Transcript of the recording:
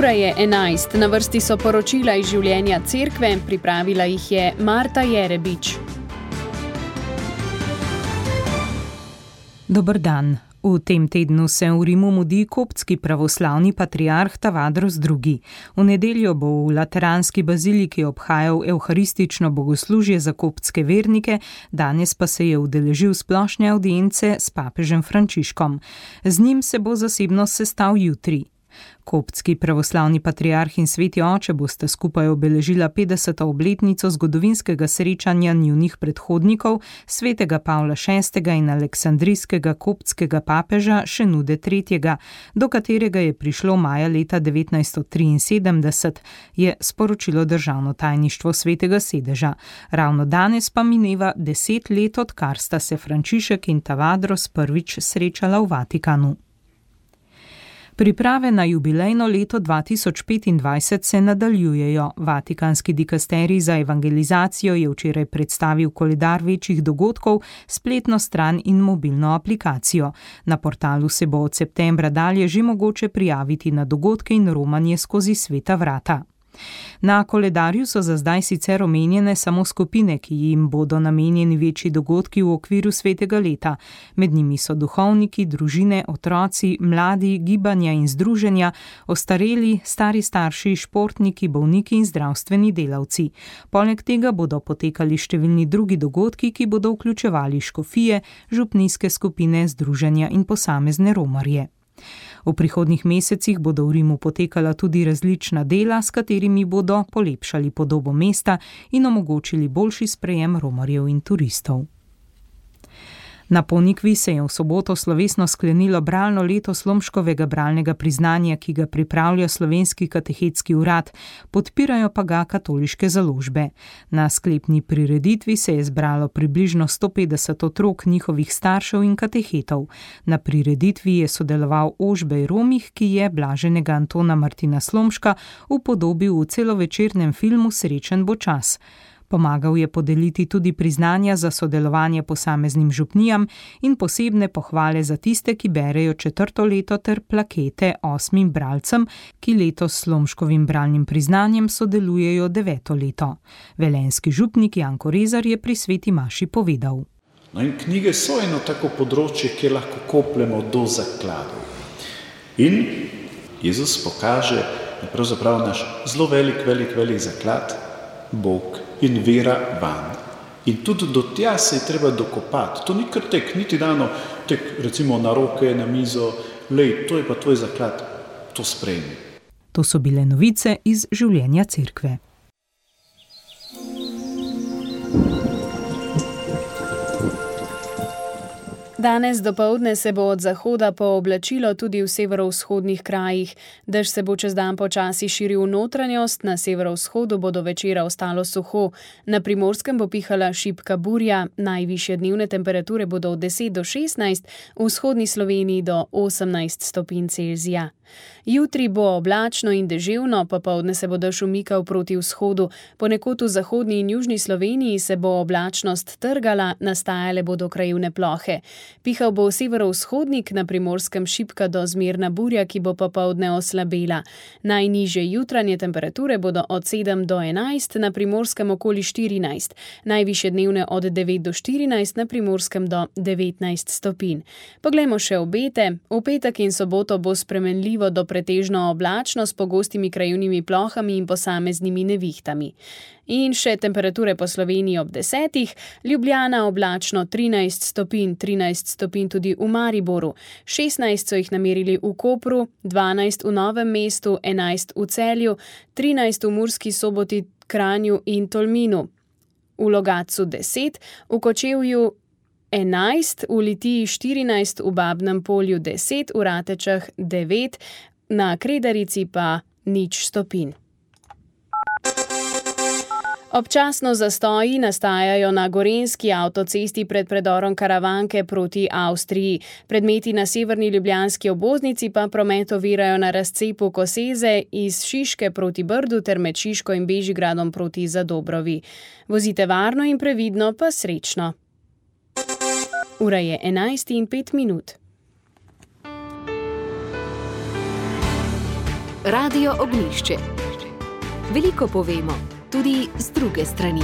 Ura je 11, na vrsti so poročila iz življenja cerkve, pripravila jih je Marta Jerebič. Dober dan. V tem tednu se v Rimu mudi koptski pravoslavni patriarh Tavadros II. V nedeljo bo v Lateranski baziliki obhajal evharistično bogoslužje za koptske vernike, danes pa se je udeležil splošne avdience s papežem Frančiškom. Z njim se bo zasebno sestal jutri. Koptski pravoslavni patriarh in sveti oče bosta skupaj obeležila 50. obletnico zgodovinskega srečanja njunih predhodnikov, svetega Pavla VI. In aleksandrijskega koptskega papeža Šenude III., do katerega je prišlo maja leta 1973, je sporočilo državno tajništvo Svetega sedeža. Ravno danes pa mineva 10 let, odkar sta se Frančišek in Tavadros prvič srečala v Vatikanu. Priprave na jubilejno leto 2025 se nadaljujejo. Vatikanski dikasterij za evangelizacijo je včeraj predstavil koledar večjih dogodkov, spletno stran in mobilno aplikacijo. Na portalu se bo od septembra dalje že mogoče prijaviti na dogodke in romanje skozi sveta vrata. Na koledarju so za zdaj sicer omenjene samo skupine, ki jim bodo namenjeni večji dogodki v okviru svetega leta. Med njimi so duhovniki, družine, otroci, mladi, gibanja in združenja, ostareli, stari starši, športniki, bolniki in zdravstveni delavci. Poleg tega bodo potekali številni drugi dogodki, ki bodo vključevali škofije, župnijske skupine, združenja in posamezne romarje. V prihodnjih mesecih bodo v Rimu potekala tudi različna dela, s katerimi bodo polepšali podobo mesta in omogočili boljši sprejem romarjev in turistov. Na Ponikvi se je v soboto slovesno sklenilo bralno leto Slomškovega bralnega priznanja, ki ga pripravlja Slovenski katehetski urad, podpirajo pa ga katoliške založbe. Na sklepni prireditvi se je zbralo približno 150 otrok, njihovih staršev in katehetov. Na prireditvi je sodeloval Ožbej Romih, ki je blaženega Antona Martina Slomška upodobil v celovečernem filmu Srečen bo čas. Pomagal je podeliti tudi priznanja za sodelovanje posameznim župnijam in posebne pohvale za tiste, ki berejo 4. leto ter plakete 8 bralcem, ki letos s Slomškovim bralnim priznanjem sodelujejo 9. leto. Velenjski župnik Janko Rezar je pri sveti maši povedal. No in knjige so eno tako področje, kjer lahko kopljemo do zakladov. In Jezus pokaže, da pravzaprav naš zelo velik zaklad, Bog in vera van. In tudi do tja se je treba dokopati. To ni kar tek, niti dano tek recimo na roke, na mizo, lej, to je pa tvoj zaklad, to sprejmi. To so bile novice iz življenja cerkve. Danes dopoldne se bo od zahoda pooblačilo tudi v severovzhodnih krajih. Dež se bo čez dan počasi širil v notranjost, na severovzhodu bo do večera ostalo suho. Na Primorskem bo pihala šibka burja, najvišje dnevne temperature bodo od 10 do 16, v vzhodni Sloveniji do 18 stopinj Celzija. Jutri bo oblačno in deževno, popoldne se bo dež umikal proti vzhodu. Ponekod v zahodni in južni Sloveniji se bo oblačnost trgala, nastajale bodo krajevne plohe. Pihal bo severovzhodnik, na Primorskem šibka do zmerna burja, ki bo popoldne oslabela. Najnižje jutranje temperature bodo od 7 do 11, na Primorskem okoli 14, najvišje dnevne od 9 do 14, na Primorskem do 19 stopinj. Poglejmo še obete. V petek in soboto bo spremenljivo do pretežno oblačno s pogostimi krajevnimi plohami in posameznimi nevihtami. In še temperature po Sloveniji ob 10, Ljubljana oblačno 13 stopinj, 13 stopinj tudi v Mariboru, 16 so jih namerili v Kopru, 12 v Novem mestu, 11 v Celju, 13 v Murski Soboti, Kranju in Tolminu, v Logatcu 10, v Kočevju 11, v Litiji 14, v Babnem Polju 10, v Ratečah 9, na Kredarici pa 0 stopinj. Občasno zastoji nastajajo na gorenjski avtocesti pred predorom Karavanke proti Avstriji. Predmeti na severni ljubljanski obvoznici pa promet ovirajo na razcepu Koseze iz Šiške proti Brdu ter med Šiško in Bežigradom proti Zadobrovi. Vozite varno in previdno, pa srečno. Ura je 11:05. Radio Ognjišče. Veliko povemo, tudi z druge strani.